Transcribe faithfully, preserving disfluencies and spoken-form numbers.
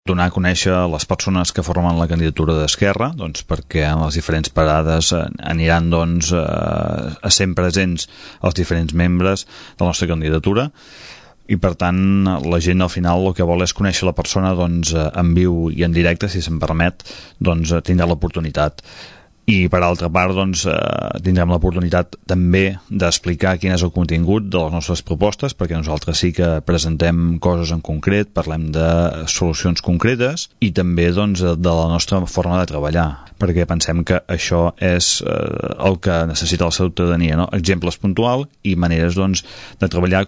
donar a conèixer les persones que formen la candidatura d'Esquerra, doncs, perquè en les diferents parades aniran doncs, a ser presents els diferents membres de la nostra candidatura, i per tant la gent al final el que vol és conèixer la persona doncs, en viu i en directe, si se'n permet, doncs, tindrà l'oportunitat. I per altra part doncs, eh, tindrem l'oportunitat també d'explicar quin és el contingut de les nostres propostes, perquè nosaltres sí que presentem coses en concret, parlem de solucions concretes i també doncs, de la nostra forma de treballar, perquè pensem que això és eh, el que necessita la ciutadania, no? Exemples puntuals i maneres doncs, de treballar